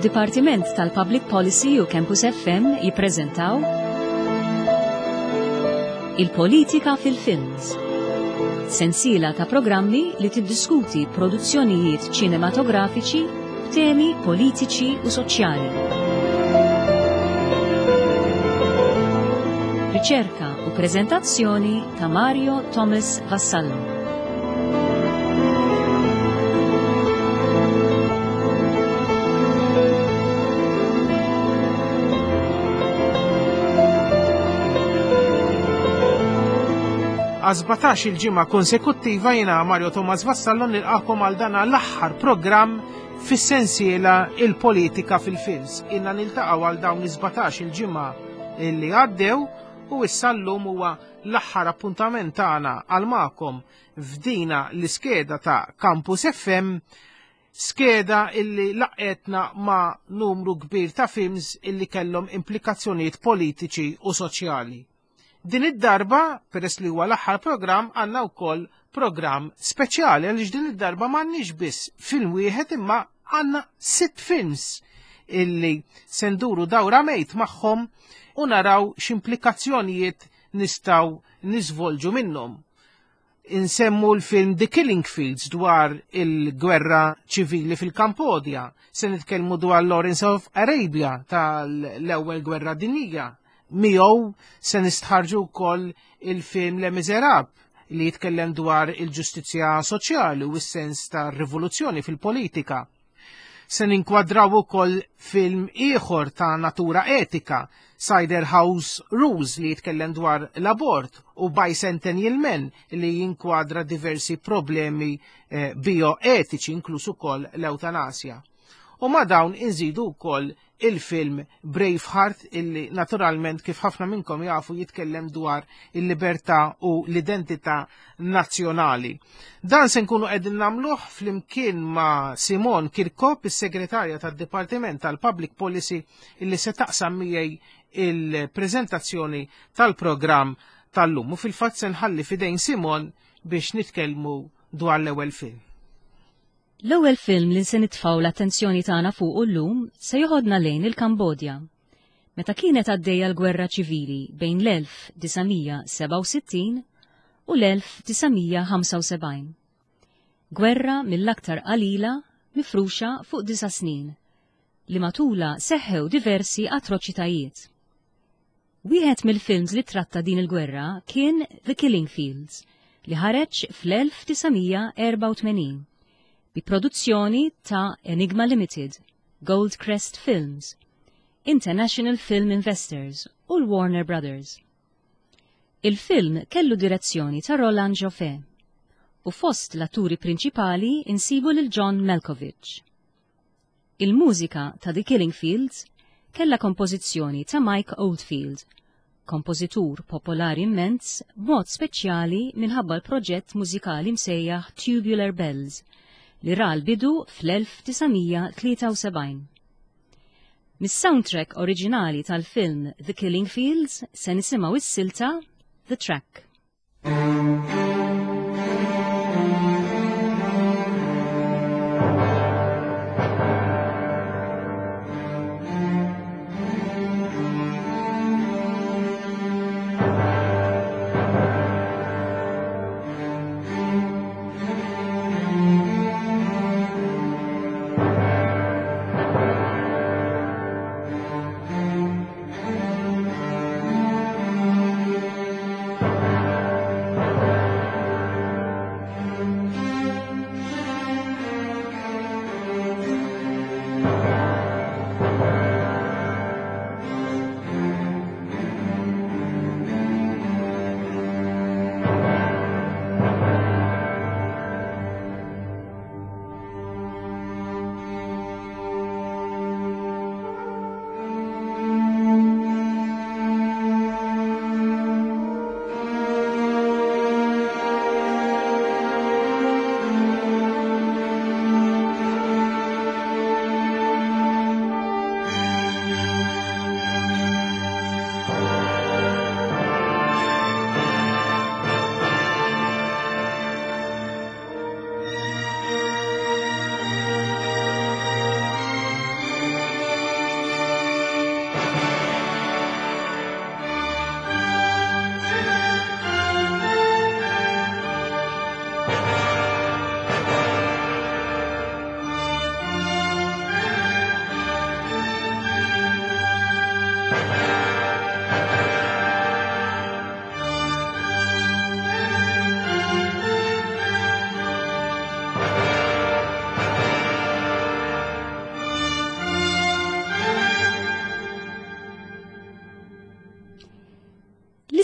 Id-Dipartiment tal-Public Policy u Campus FM jippreżentaw Il-Politika fil-Films. Sensiela ta' programmi li tiddiskuti produzzjonijiet ċinematografiċi b'temi politiċi u soċjali. Riċerka u preżentazzjoni ta' Mario Thomas Vassallo. Għal il-ġimgħa konsekuttiva jiena Mario Thomas Vassallo nilqakom għal dana l-aħħar programm fis-sensiela il-politika fil-films. Inna niltaqgħu għal dawn is-17 il-ġimgħa li għaddew u issa llum huwa l-aħħar appuntament tagħna għal magħkom f'dina l-iskeda ta' Campus FM skeda illi laqetna ma' numru kbir ta' films illi kellhom implikazzjonijiet politiċi u soċjali. Din id-darba, peress li huwa l-aħħar programm, għandna wkoll programm speċjali għaliex din id-darba m'għandniex biss film wieħed imma għandna sitt films illi se nduru dawra mejt magħhom u naraw x'implikazzjonijiet nistgħu niżvolġu minnhom. Insemmu l-film The Killing Fields dwar il-gwerra ċivili fil-Kampodja, se nitkellmu dwar Lawrence of Arabia tal-ewwel gwerra dinjija. Miegħu se nistħarġu wkoll il-film Les Miserables li jitkellem dwar il-ġustizzja soċjali u s-sens ta' rivoluzzjoni fil-politika. Se ninkwadraw ukoll film ieħor ta' natura etika, Cider House Rules li jitkellem dwar l-abort u Bicentennial Men li jinkwadra diversi problemi eh, bioetiċi inkluż ukoll l-eutanasja. U ma' dawn inżidu wkoll il-film Braveheart illi naturalment kif ħafna minnkom jafu jitkellem dwar il-libertà u l-identità nazzjonali. Dan se nkunu qegħdin nagħmluh flimkien ma' Simon Kirkop, is-segretarja tad-Dipartiment tal-Public Policy illi se taqsam miegħi il-preżentazzjoni tal-programm tal-lum. U fil-fatt se nħalli fidejn Simon biex nitkellmu dwar l-ewwel film. L-ewwel film li se nitfgħu l-attenzjoni tagħna fuqu llum se joħodna lejn il-Kambodja. Meta kienet għaddejja l-gwerra ċivili bejn l-1967 u l-1975. Gwerra mill-aktar qalila mifruxa fuq disa' snin li matulha seħħew diversi atroċitajiet. Wieħed mill-films li tratta din il-gwerra kien The Killing Fields li ħareġ fl-1984 bi produzzjoni ta' Enigma Limited, Goldcrest Films, International Film Investors u l-Warner Brothers. Il-film kellu direzzjoni ta' Roland Joffé u fost l-atturi prinċipali insibu lil John Malkovich. Il-mużika ta' The Killing Fields kellha kompożizzjoni ta' Mike Oldfield, kompożitur popolari immens b'mod speċjali minħabba l-proġett mużikali msejjaħ Tubular Bells li ra l-bidu fl-1973. Mis-soundtrack oriġinali tal-film The Killing Fields se nisimgħu s-silta The Track.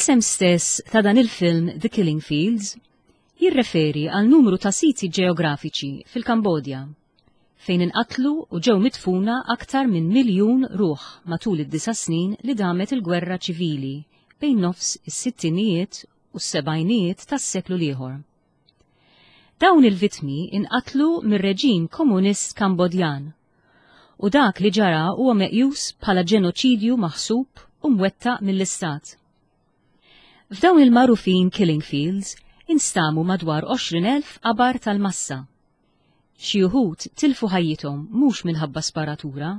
L-isem stess ta' dan il-film The Killing Fields jirreferi għal numru ta' siti ġeografiċi fil-Kambodja fejn inqatlu u ġew midfuna aktar minn miljun ruħ matul id-disa' snin li damet il-gwerra ċivili bejn nofs is-sittinijiet u s-sebgħinijiet tas-seklu l-ieħor. Dawn il-vittmi inqatlu mir-reġim komunist Kambodjan u dak li ġara huwa meqjus bħala ġenoċidju maħsub u mwettaq mill-Istat. F'dawn il-magħrufin Killing Fields instamu madwar 20,000 qabar tal-massa. Xi wħud tilfu ħajjithom mhux minħabba sparatura,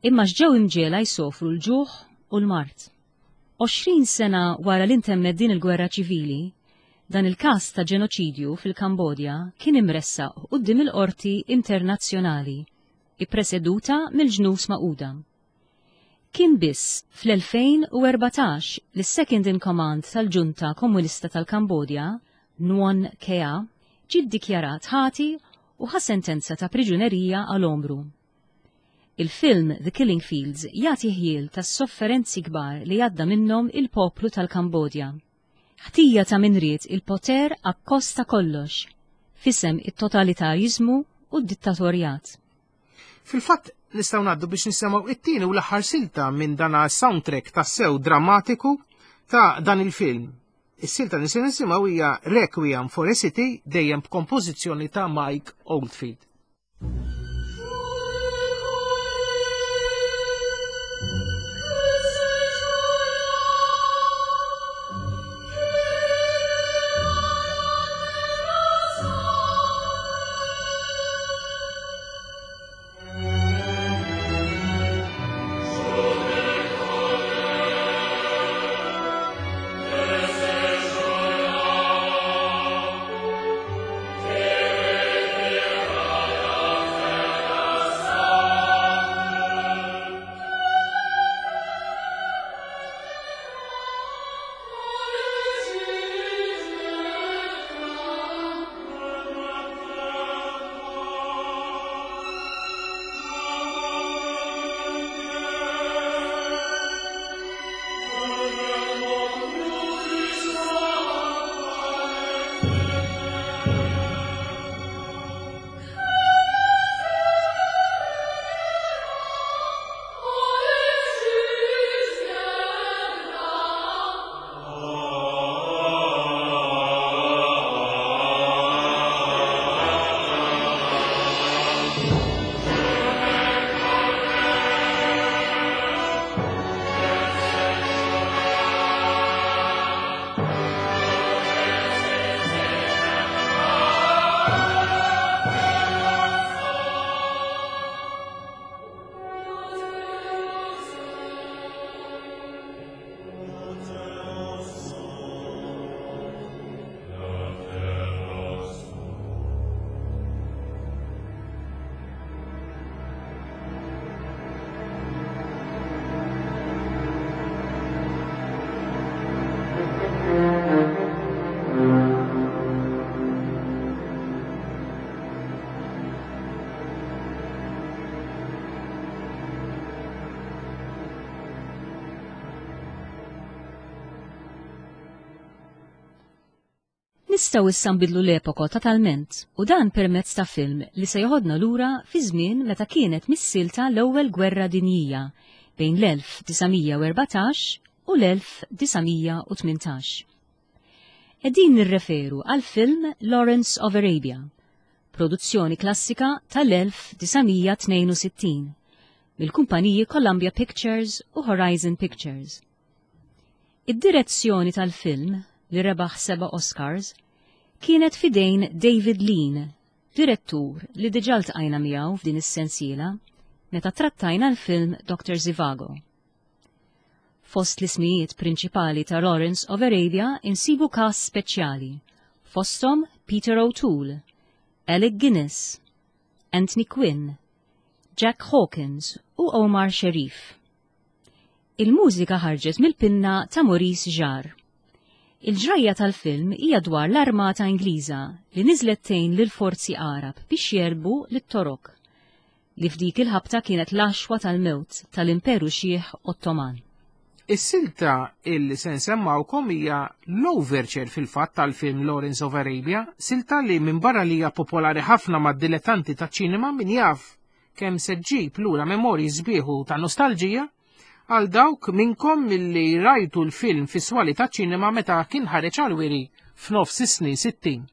imma x'ġew imġiegħla jsofru l-ġuħ u l-mard. 20 sena wara li ntemmet din il-gwerra ċivili, dan il-każ ta' ġenoċidju fil-Kambodja kien imressaq quddiem il-Qorti Internazzjonali, ippreseduta mill-Ġnus Magħquda. Kien biss fl-2014 li s-second in command tal-ġunta komunista tal-Kambodja, Nuon Chea, ġie ddikjarat ħati u ħa sentenza ta' priġunerija għal għomru. Il-film The Killing Fields jagħti ħjiel tas-sofferenzi kbar li għadda minnhom il-poplu tal-Kambodja. Ħtija ta' min ried il-poter akkost ta' kollox, f'isem it-totalitarjiżmu u d-dittatorjat. Fil-fatt, nistgħu ngħaddu biex nisimgħu it-tieni u l-aħħar silta minn dan soundtrack tassew drammatiku ta' dan il-film. Is-silta li se nisimgħu hija Requiem for a City dejjem b'kompożizzjoni ta' Mike Oldfield. Nistgħu issa nbidlu l-epoka totalment u dan permezz ta' film li se joħodna lura fi żmien meta kienet missielta l-Ewwel Gwerra Dinjija bejn l-1914 u l-1918. Qegħdin nirreferu għall-film Lawrence of Arabia, produzzjoni klassika tal-1962 mill-kumpaniji Columbia Pictures u Horizon Pictures. Id-direzzjoni tal-film, li rebaħ seba' Oscars, kienet f'idejn David Lean, direttur li diġà ltqajna miegħu f'din is-sensiela meta trattajna l-film Doctor Zhivago. Fost l-ismijiet prinċipali ta' Lawrence of Arabia insibu cast speċjali, fosthom Peter O'Toole, Alec Guinness, Anthony Quinn, Jack Hawkins u Omar Sharif. Il-mużika ħarġet mill-pinna ta' Maurice Jarre. Il-ġrajja tal-film hija dwar l-armata Ingliża li niżlet tgħin lill-forzi Għarab biex jegħlbu lit-Torok, li f'dik il-ħabta kienet l-għaxwa tal-mewt tal-Imperu Xiħ Ottoman. Is-silta illi se nsemmawkom hija l-overture fil-fatt tal-film Lawrence of Arabia, silta li minbarra li hija popolari ħafna mad-dilettanti taċ-ċinema min jaf kemm se ġġib lura memorji sbieħ u ta' nostalġija għal dawk minnkom milli rajtu l-film fis-swali taċ-ċinema meta kien ħareġ għall-wiri f'nofs is-snin 60.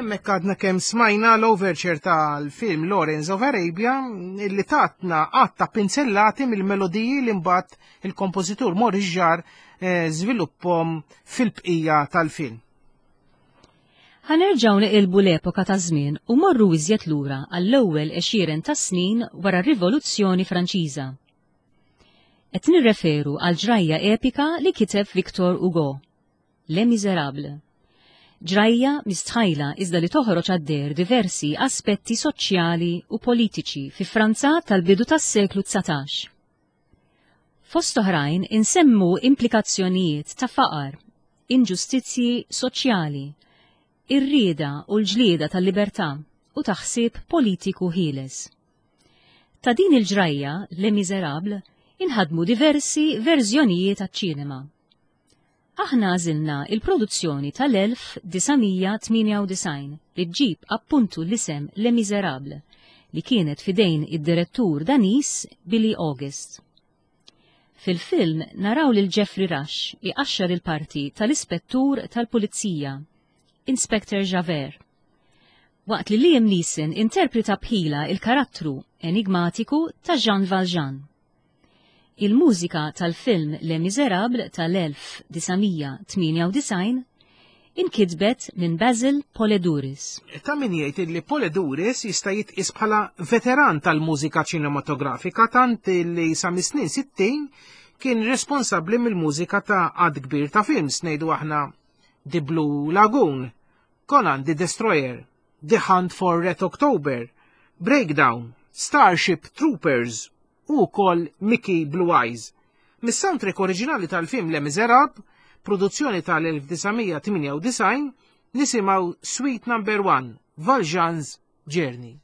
Hemmhekk għadna kemm smajna l-overture tal-film Lawrence of Arabia illi tatna għatta pinzellati mill-melodiji li mbagħad il-kompożitur Maurice Jarre eh, żvilupphom fil-bqija tal-film. Ħanerġgħu neqilbu l-epoka ta' żmien u morru iżjed lura għall-ewwel għexieren ta' snin wara r-Rivoluzzjoni Franċiża. Qed nirreferu għal ġrajja epika li kiteb Victor Hugo, Les Misérables. Ġrajja mistħajla iżda li toħroġ għad-deher diversi aspetti soċjali u politiċi fi Franza tal-bidu tas-seklu 19. Fost oħrajn insemmu implikazzjonijiet ta' faqar, inġustizzji soċjali, ir-rieda u l-ġlieda tal-libertà u ta' ħsieb politiku ħieles. Ta' din il-ġrajja, Les Misérables, inħadmu diversi verżjonijiet għaċ-ċinema. Aħna għażilna il-produzzjoni tal-1998 li ġġib appuntu l-isem Les Misérables li kienet fidejn id-direttur Daniż Billy August. Fil-film naraw lil Geoffrey Rush iqaxxar il-parti tal-ispettur tal-pulizija, Inspector Javert. Waqt li Liam Neeson interpreta bħila il-karattru enigmatiku ta' Jean Valjean. Il-mużika tal-film Les Misérables tal-1998 inkitbet minn Basil Poledouris. Ta' min jgħid li Poledouris jista' jitqies bħala veteran tal-mużika ċinematografika tant li sa mis-snin 60 kien responsabbli mill-mużika ta' għadd kbir ta' films ngħidu aħna The Blue Lagoon, Conan the Destroyer, The Hunt for Red October, Breakdown, Starship Troopers u wkoll Mickey Blue Eyes. Mis-soundtrack oriġinali tal-film Les Misérables, produzzjoni tal-1998, nisimgħu Suite Number 1, Valjean's Journey.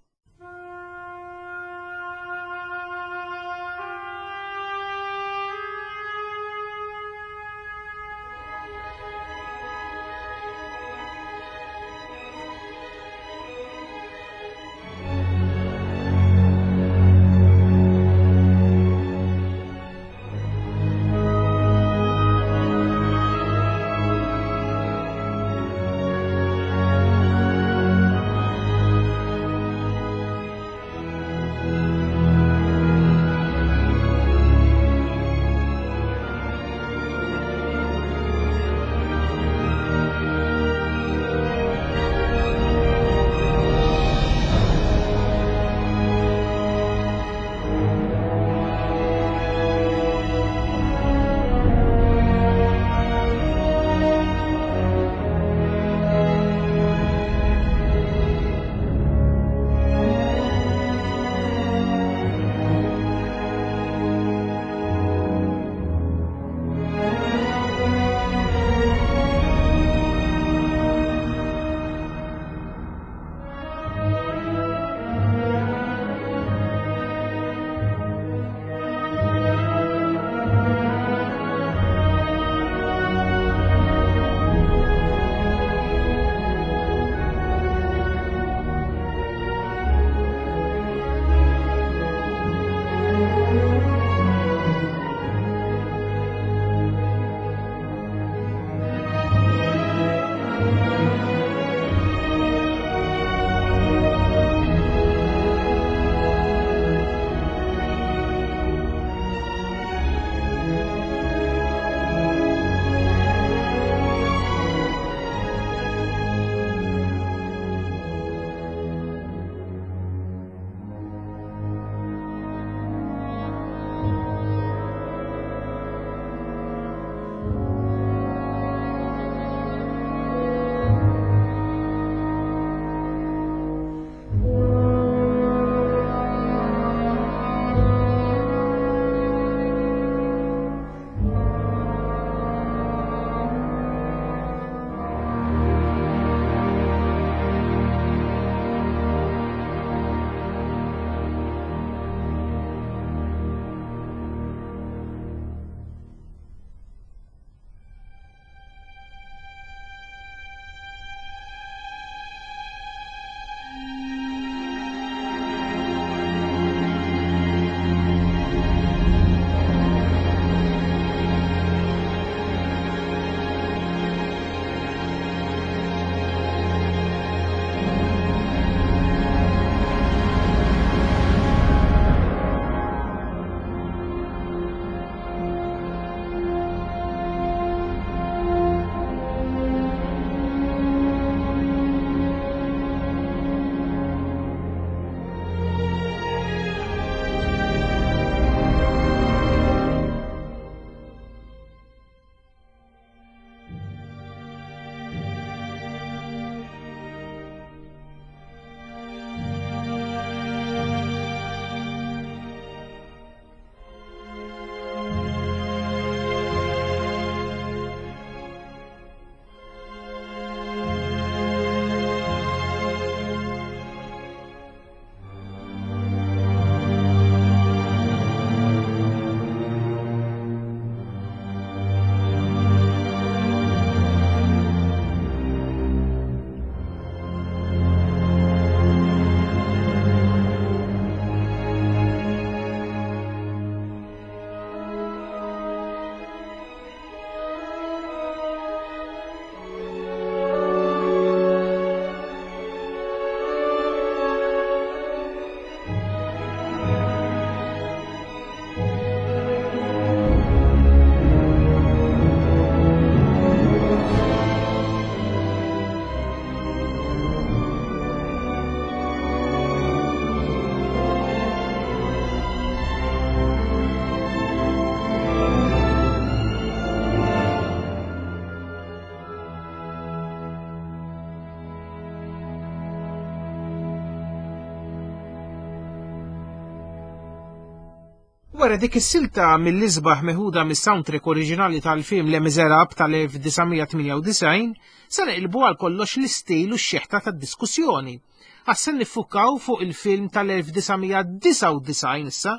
Wara dik is-silta mill-isbaħ meħuda mis-soundtrack oriġinali tal-film Les Miserables tal-1998, se neqilbu għal kollox l-istil u x-xeħta tad-diskussjoni. Għax se niffukaw fuq il-film tal-1999 issa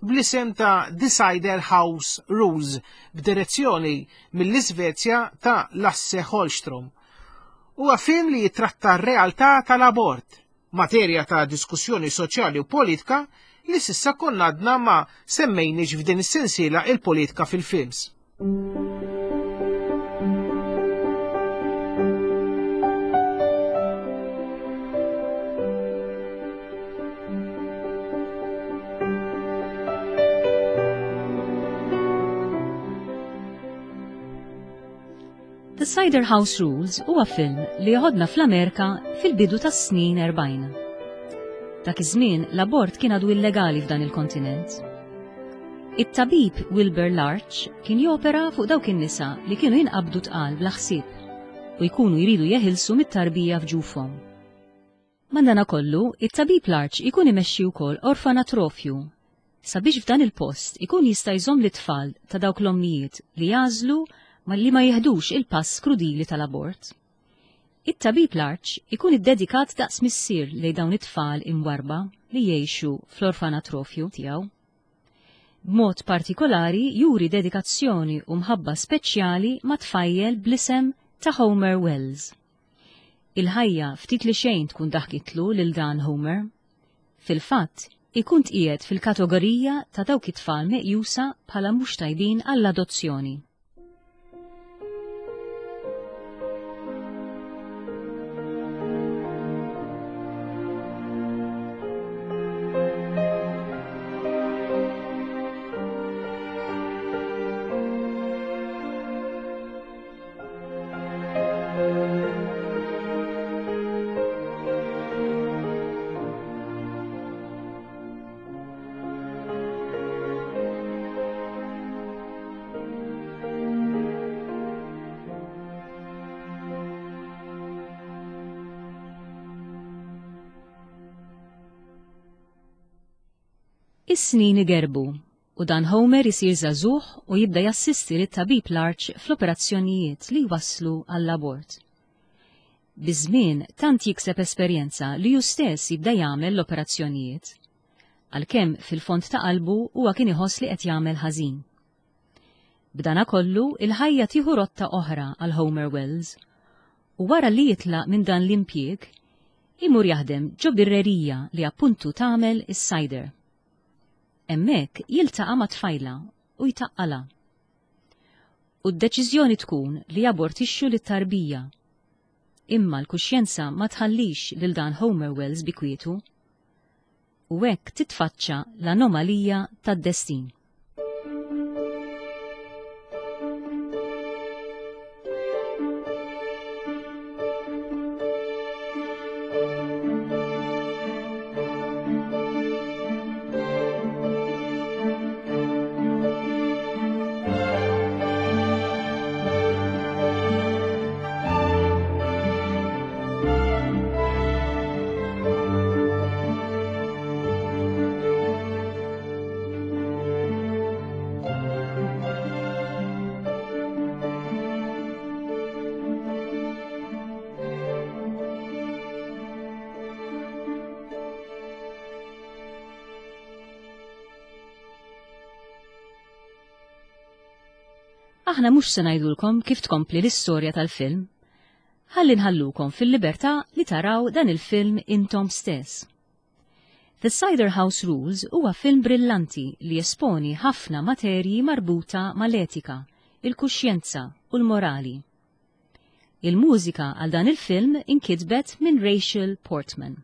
bl-isem ta' The Cider House Rules b'direzzjoni mill-Iżvezja ta' Lasse Hallström. Huwa film li jitratta r-realtà tal-abort, materja ta' diskussjoni soċjali u politika li s'issa konna għadna ma semmejniex f'din is-sensiela il-politika fil-films. The Cider House Rules huwa film li joħodna fl-Amerika fil-bidu tas-snin 40. Dak iż-żmien l-abort kien għadu illegali f'dan il-kontinent. It-tabib Wilbur Larch kien jopera fuq dawk in-nisa li kienu jinqabdu tqal bla ħsieb u jkunu jridu jeħilsu mit-tarbija f'ġufhom. Madanakollu, it-tabib Larch ikun imexxi wkoll orfanatrofju sabiex f'dan il-post ikun jista' jżomm lit-tfal ta' dawk l-ommijiet li jagħżlu li ma jiħdux il-pass krudili tal-abort. It-tabib Larch ikun iddedikat daqs missier lejn dawn it-tfal imwarrba li jgħixu fl-orfanatrofju tiegħu. B'mod partikolari juri dedikazzjoni u mħabba speċjali ma' tfajjel bl-isem ta' Homer Wells. Il-ħajja ftit li xejn tkun daħkitlu lil dan Homer. Fil-fatt, ikun tqiegħed fil-kategorija ta' dawk it-tfal meqjusa bħala mhux tajbin għall-adozzjoni. Is-snin igerbu u dan Homer isir żagħżugħ u jibda jassisti lit-tabib Larch fl-operazzjonijiet li jwasslu għall-abort. Biż-żmien tant jikseb esperjenza li hu stess jibda jagħmel l-operazzjonijiet. Għalkemm fil-fond ta' qalbu huwa kien iħoss li qed jagħmel ħażin. B'danakollu, il-ħajja tieħu rotta oħra għal Homer Wells u wara li jitlaq minn dan l-impjieg, imur jaħdem ġo birrerija li appuntu tagħmel is-cider. Hemmhekk jiltaqa' ma' tfajla u jtaqqalha. U d-deċiżjoni tkun li jabortixxu lit-tarbija. Imma l-kuxjenza ma tħallix lil dan Homer Wells bi kwietu. U hekk titfaċċa l-anomalija tad-destin. Aħna mhux se ngħidulkom kif tkompli l-istorja tal-film. Ħalli nħallukom fil-libertà li taraw dan il-film intom stess. The Cider House Rules huwa film brillanti li jesponi ħafna materji marbuta mal-etika, il-kuxjenza u l-morali. Il-mużika għal dan il-film inkitbet minn Rachel Portman.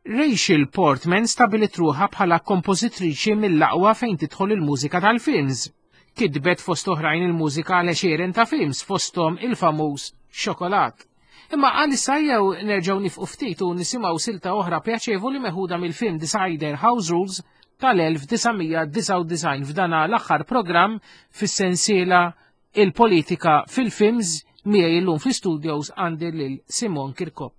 Rachel Portman stabiliet ruħha bħala kompożitriċi mill-aqwa fejn tidħol il-mużika tal-films. Kitbet fost oħrajn il-mużika għal għexieren ta' films fosthom il-famuż Xokolat. Imma għalissa jew nerġgħu nifqu ftit u nisimgħu silta oħra pjaċevoli meħuda mill-film Decider House Rules tal-1999 f'dana l-aħħar programm fis-sensiela Il-Politika fil-Films miegħi illum fl-istudios għandi lil Simon Kirkop.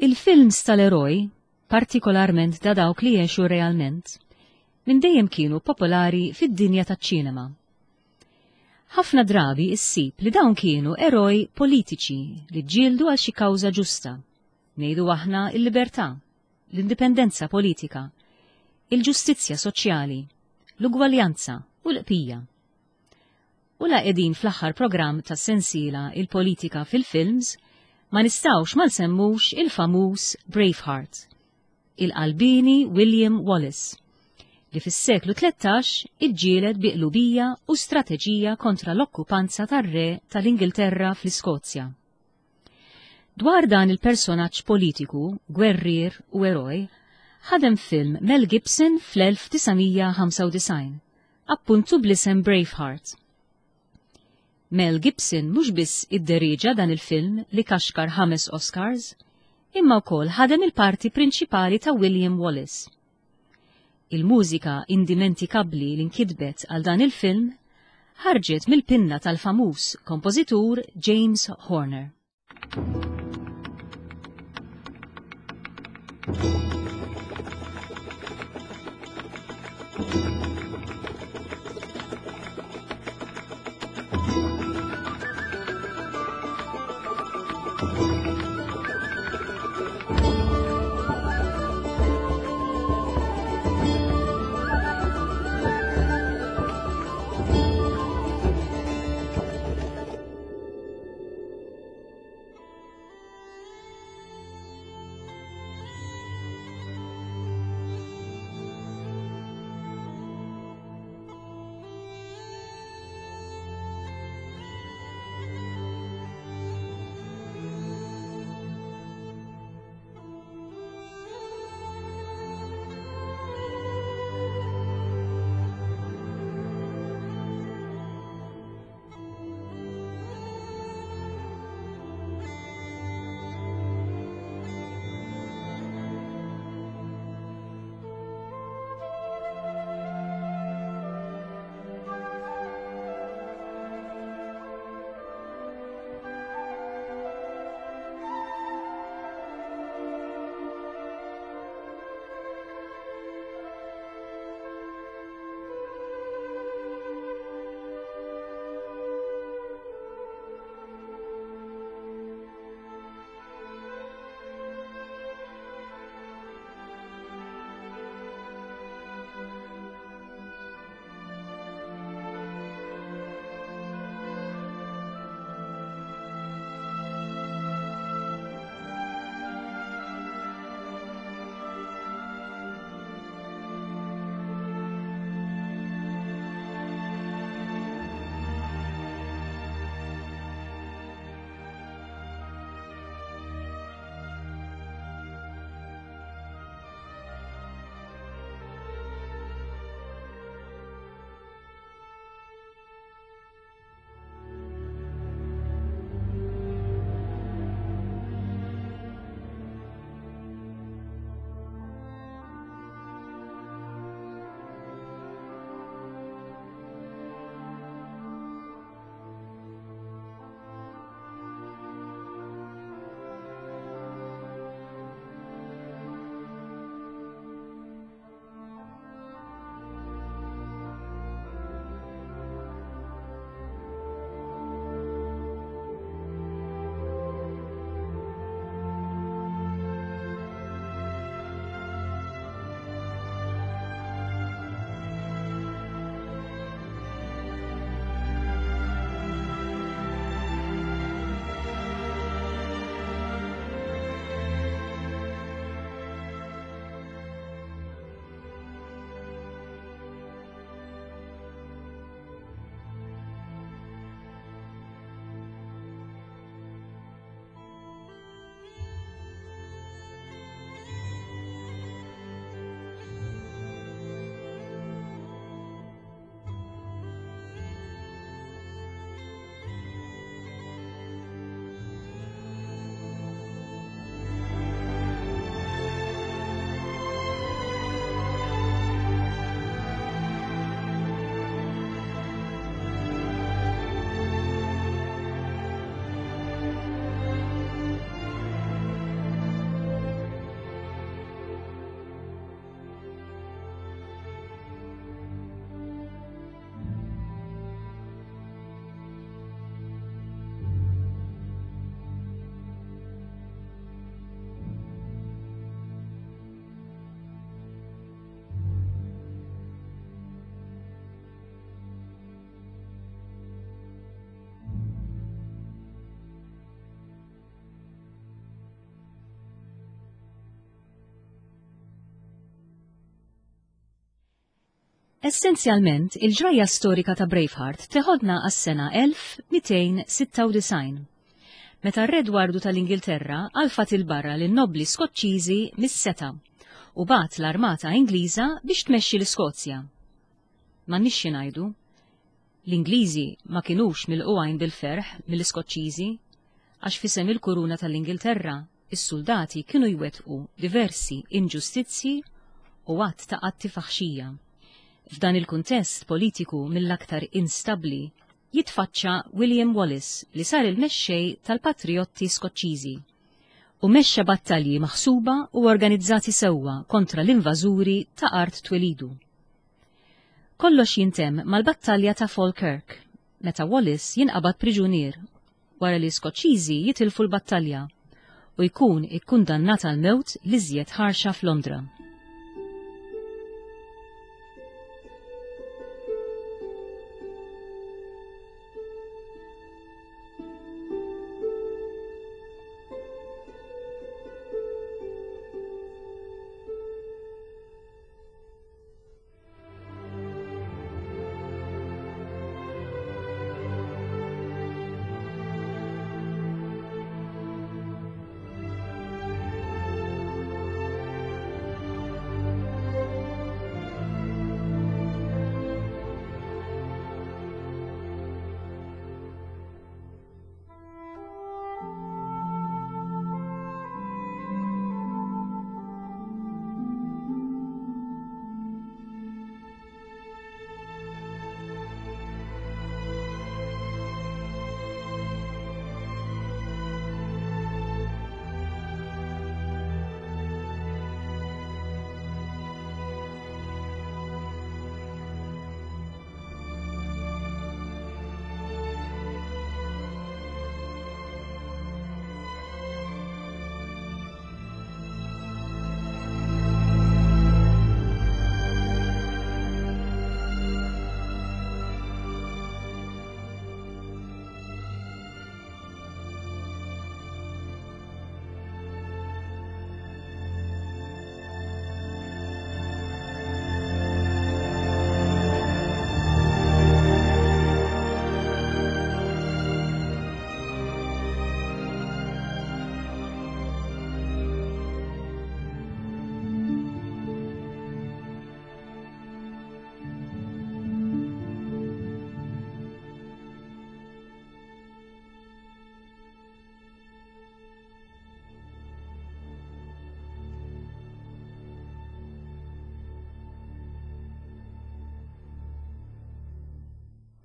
Il-films tal-eroj, partikolarment da dawk li għexu realment, minn dejjem kienu popolari fid-dinja taċ-ċinema. Ħafna drabi issib li dawn kienu eroj politiċi li ġġieldu għal xi kawża ġusta. Ngħidu aħna l-libertà, l-indipendenza politika, il-ġustizzja soċjali, l-ugwaljanza u l-qpija. U la qegħdin fl-aħħar programm tas-sensiela Il-Politika fil-Films, ma nistgħux ma nsemmux il-famuż Braveheart, il-qalbieni William Wallace, li fis-seklu 13 iġġieled bi qlubija u strateġija kontra l-okkupanza tar-re tal-Ingilterra fl-Iskozja. Dwar dan il-personaġġ politiku, gwerrier u eroj, ħadem film Mel Gibson fl-1995, appuntu bl-isem Braveheart. Mel Gibson mhux biss idderieġa dan il-film li kaxkar ħames Oscars, imma wkoll ħadem il-parti prinċipali ta' William Wallace. Il-mużika indimentikabbli li nkitbet għal dan il-film ħarġet mill-pinna tal-famuż kompożitur James Horner. Essenzjalment, il-ġrajja storika ta' Braveheart teħodna għas-sena 1296, meta r-Re Dwardu tal-Ingilterra għalfat 'il barra lin-nobbli Skoċċiżi mis-setgħa u bagħat l-armata Ingliża biex tmexxi l-Iskozja. M'għandniex xi ngħidu, l-Ingliżi ma kinux milqugħin bil-ferħ mill-Iskoċċiżi għax f'isem il-kuruna tal-Ingilterra is-suldati kienu jwettqu diversi inġustizzji u għadd ta' atti faħxija. F'dan il-kuntest politiku mill-aktar instabbli jitfaċċa William Wallace li sar il-mexxej tal-patrijotti Skoċċiżi u mexxa battalji maħsuba u organizzati sewwa kontra l-invażuri ta' art twelidu. Kollox jintemm mal-battalja ta' Falkirk meta Wallace jinqabad priġunier wara li Skoċċiżi jitilfu l-battalja u jkun ikkundannat għall-mewt l-iżjed ħarxa f'Londra.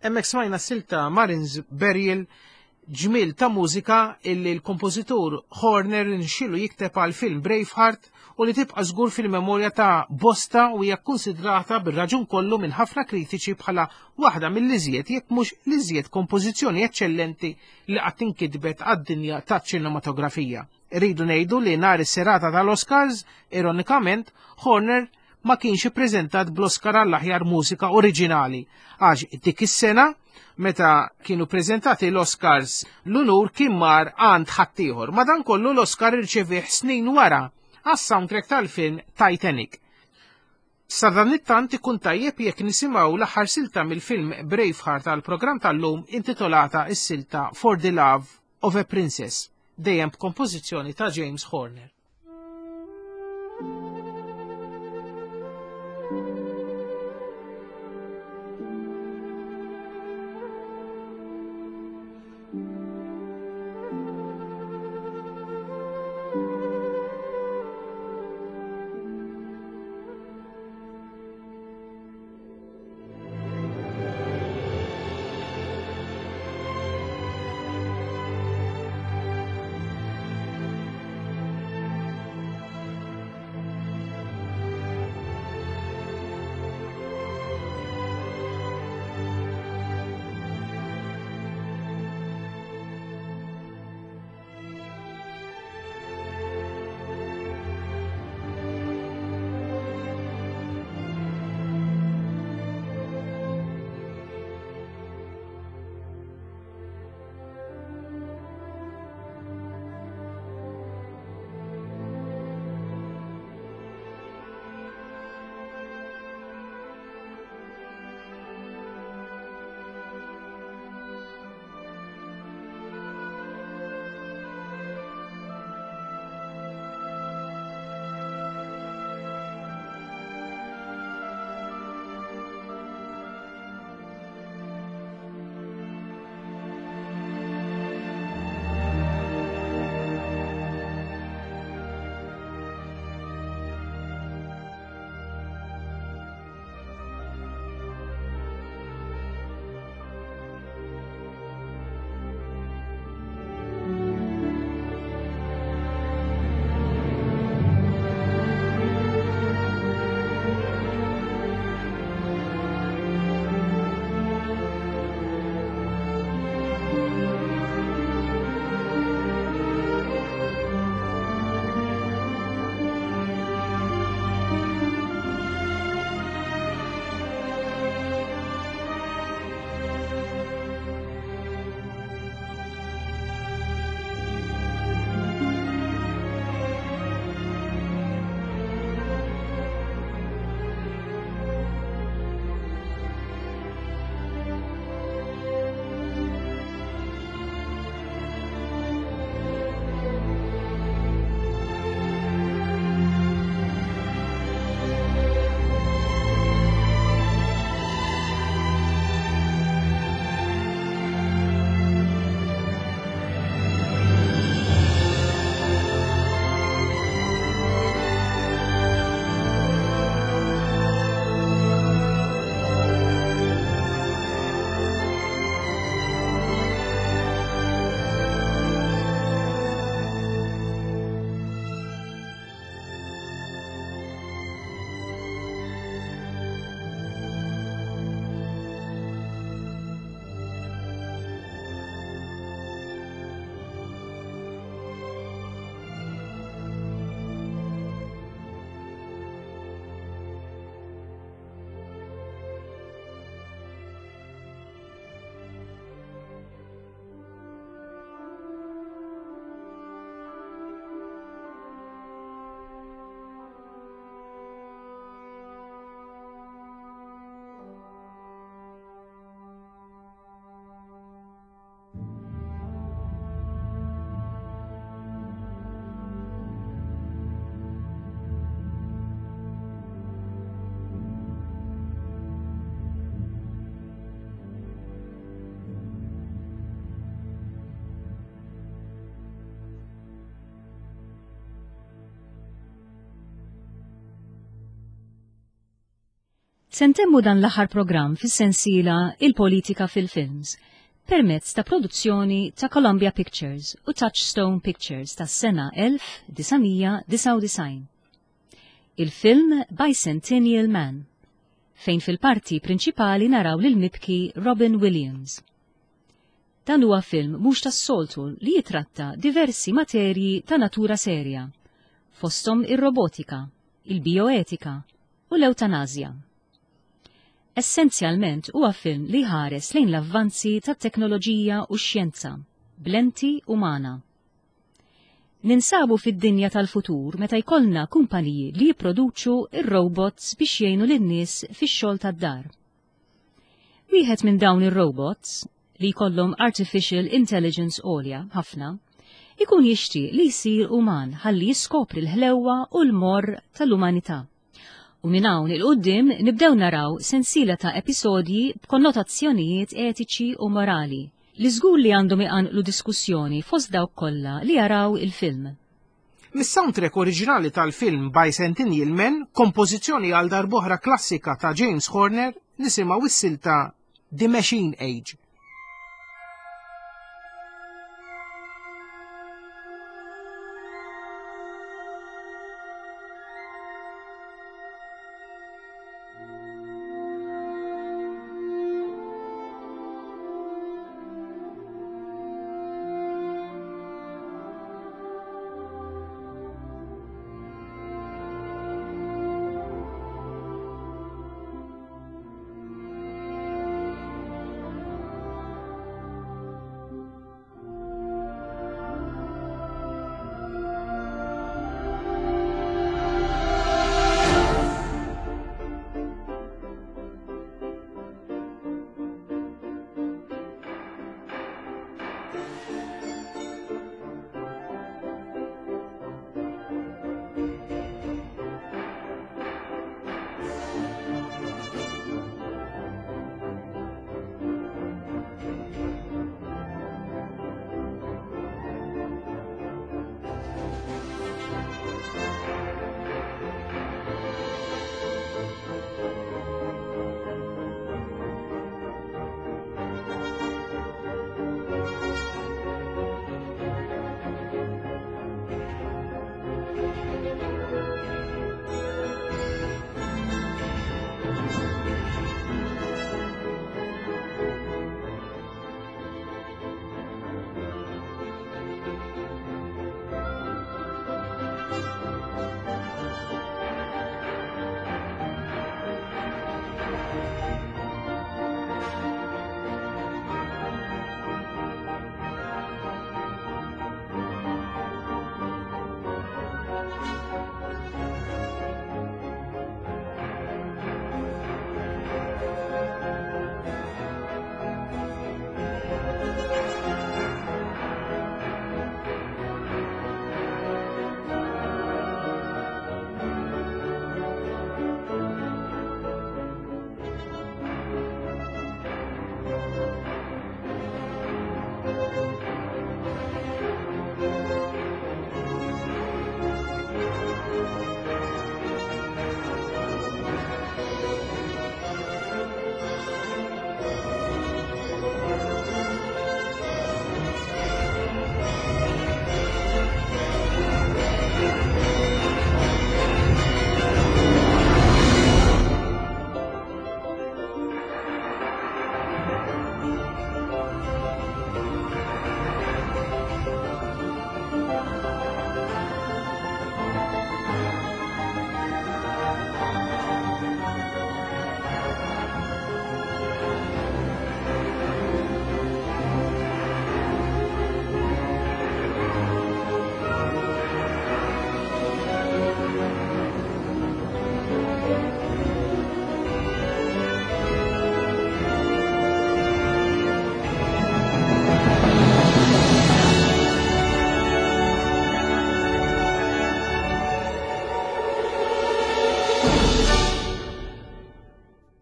Hemmhekk smajna silta Marines Burial ġmil ta' mużika illi l-kompożitur Horner nxilu jikteb għal film Braveheart u li tibqa' żgur fil-memorja ta' bosta u hija kkunsidrata bir-raġun kollu minn ħafna kritiċi bħala waħda mill-iżjed jekk mhux l-iżjed kompożizzjoni eċċellenti li qatt inkitbet għad-dinja taċ-ċinematografija. Irridu ngħidu li nhar is-serata tal-Oscars, ironikament, Horner ma kienx ippreżentat bl-Oscar għall-aħjar mużika oriġinali għax dik is-sena meta kienu preżentati l-Oscars l-unur kien mar għand ħaddieħor. Madankollu l-Oscar irċevih snin wara għas-soundtrack tal-film Titanic. Sadanittant ikun tajjeb jekk nisimgħu l-aħħar silta mill-film Braveheart għall-programm tal-lum intitolata s-silta For the Love of a Princess, dejjem b'kompożizzjoni ta' James Horner. Se ntemmu dan l-aħħar programm fis-sensiela Il-Politika fil-Films permezz ta' produzzjoni ta' Columbia Pictures u Touchstone Pictures tas-sena 1999. Il-film Bicentennial Man, fejn fil-parti prinċipali naraw lil mibki Robin Williams. Dan huwa film mhux tas-soltu li jitratta diversi materji ta' natura serja, fosthom ir-robotika, il-bioetika u l-ewtanasja. Essenzjalment huwa film li jħares lejn l-avvanzi tat-teknoloġija u x-xjenza b'lenti umana. Ninsabu fid-dinja tal-futur meta jkollna kumpaniji li jipproduċu r-robots biex jgħinu lin-nies fix-xogħol tad-dar. Wieħed minn dawn ir-robots, li jkollhom artificial intelligence għolja ħafna, ikun jixtieq li jsir uman ħalli jiskopri l-ħlewwa u l-morr tal-umanità. U minn hawn 'il quddiem nibdew naraw sensiela ta' episodji b'konnotazzjonijiet etiċi u morali li żgur li għandhom iqanqlu diskussjoni fost dawk kollha li jaraw il-film. Mis-soundtrack oriġinali tal-film Bicentennial Man, kompożizzjoni għal darb'oħra klassika ta' James Horner, nisimgħu s-silta The Machine Age.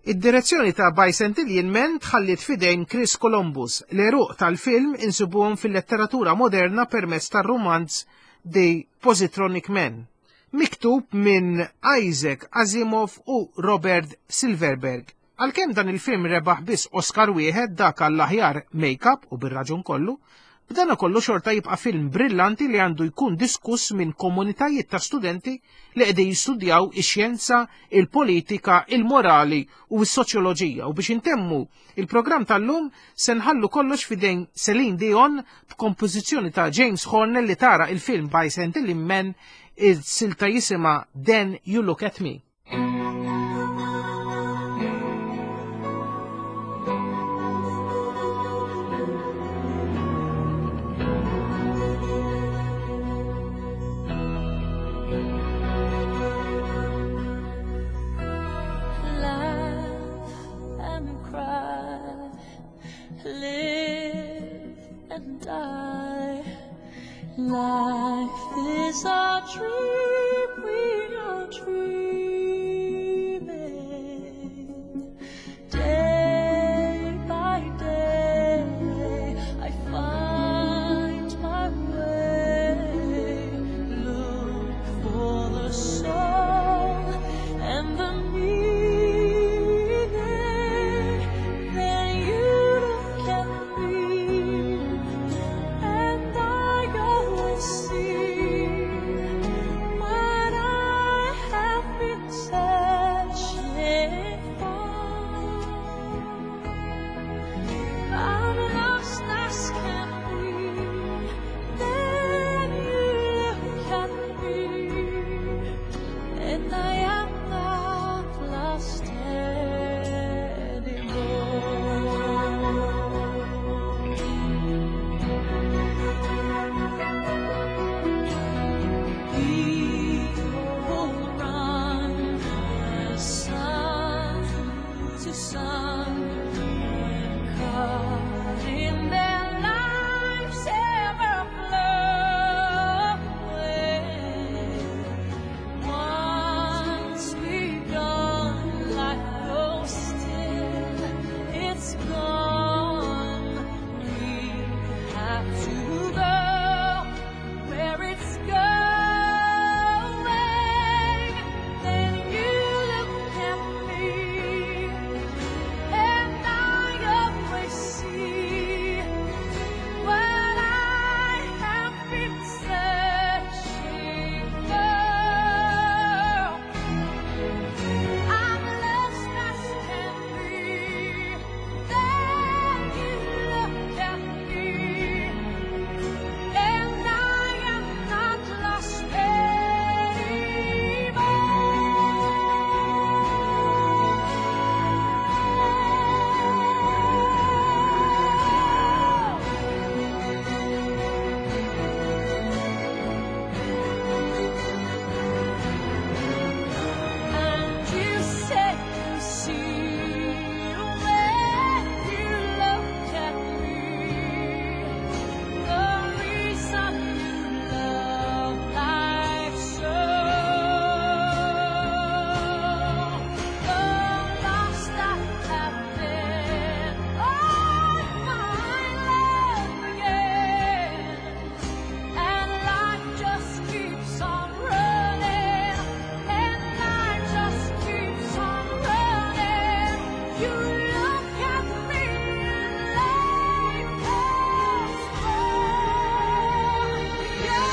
Id-direzzjoni ta' Bicentennial Man tħalliet f'idejn Chris Columbus. L-għeruq tal-film insibuhom fil-letteratura moderna permezz tar-rumanz The Positronic Man. miktub minn Isaac Asimov u Robert Silverberg. Għalkemm dan il-film rebaħ biss Oscar wieħed dak għall-aħjar make-up u bir-raġun kollu, b'dana kollu xorta jibqa' film brillanti li għandu jkun diskuss minn komunitajiet ta' studenti li qegħdin jistudjaw ix-xjenza, il-politika, il-morali u s-soċjoloġija. U biex intemmu il-programm tal-lum se nħallu kollox f'idejn Celine Dion b'kompożizzjoni ta' James Horner li tara il-film by Sentilin Men il-silta jisimha Then You Look at Me. Laugh and cry, live and die. Life is a dream we are dreaming. Day by day, I find my way. Look for the soul and the meaning. Then you look at me, and I always see what I have been searching for. I'm lost as can be. Then you look at me, and I am not lost anymore. People run sun to sun, caught in their lives ever flowing. Once begun, life goes still. It's gone. We have to go where it's going. Then you look at me, and I always see what I have been searching for. I'm lost as can be. Then you look at me, and I am not lost anymore. And you say you see when you look at me the reason you love life so. The lost I have been, I find love again. And life just keeps on running, and life just keeps on running. You look at me, and life goes on. Yeah.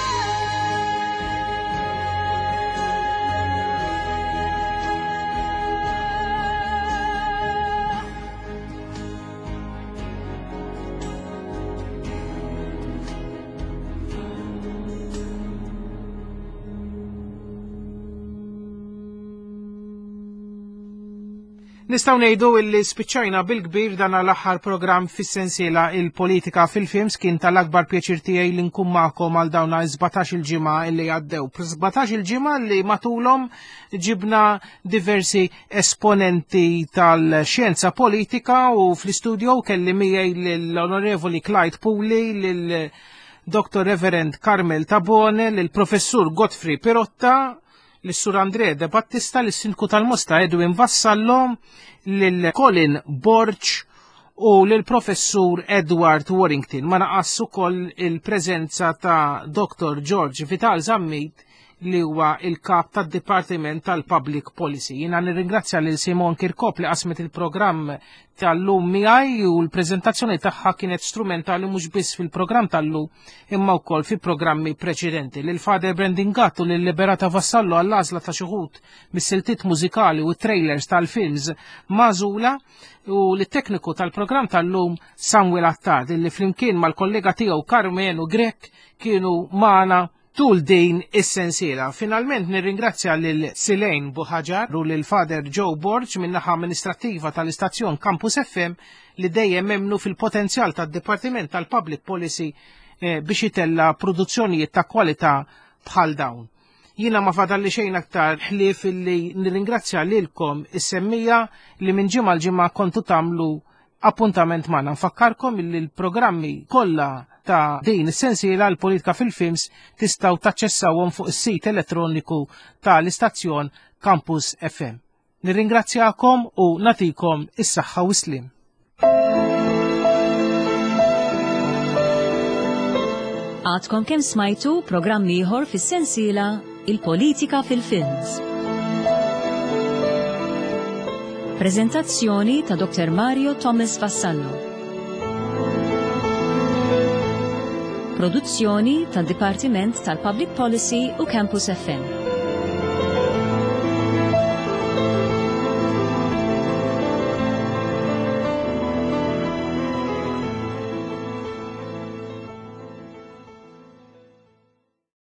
Nistgħu ngħidu illi spiċċajna bil-kbir dan l-aħħar programm fis-sensiela il-politika fil-films kien tal-akbar pjaċir tiegħi li nkun magħkom għal dawna 17 il-ġimgħa illi għaddew. 17 il-ġimgħa li matulhom ġibna diversi esponenti tal-xjenza politika u fl-istudio kelli miegħi l-Onorevoli Clyde Puli, lil Dr. Reverend Carmel Tabone, lill-Professur Godfrey Pirotta, l-Sur Andrea De Battista, l-Sindku tal-Mosta Edwin Vassallo, lil Colin Borg u l-Professur Edward Warrington. Ma naqas ukoll il-preżenza ta' Dr. George Vital Zammit li huwa il-kap tad-Dipartiment tal-Public Policy. Jiena nirringrazzja lil Simon Kirkop li qasmet il-programm tal-lum miegħi u l-preżentazzjoni tagħha kienet strumentali mhux biss fil-programm tal-lum imma wkoll fi programmi preċedenti. Lil Father Brandon Gatt u lil Liberata Vassallo għall-għażla ta' xi wħud mis-siltiet mużikali u trailers tal-films magħżula u lit-tekniku tal-programm tal-lum Samuel Attard li flimkien mal-kollega tiegħu Carmenu Grech kienu magħna tul din is-sensiela. Finalment nirringrazzja lil Silejn Buħaġar u lil Father Joe Borg min-naħa amministrattiva tal-istazzjon Campus FM li dejjem emmnu fil-potenzjal tad-Dipartiment tal-Public Policy eh, biex itella produzzjonijiet ta' kwalità bħal dawn. Jiena ma fadalli xejn aktar ħlief illi nirringrazzja lilkom is-semmija li minn ġimgħa l-ġimgħa kontu tagħmlu appuntament magħna. Nfakkarkom illi l-programmi kollha ta' din is-sensiela l-politika fil-films tistgħu taċċessawhom fuq is-sit elettroniku tal-istazzjon Campus FM. Nirringrazzjakom u natikom is-saħħa u slim. Għadkom kemm smajtu programm ieħor fis-sensiela Il-Politika fil-Films. Prezentazzjoni ta' Dr. Mario Thomas Vassallo. Produzzjoni tad Dipartiment tal-Public Policy u Campus FM.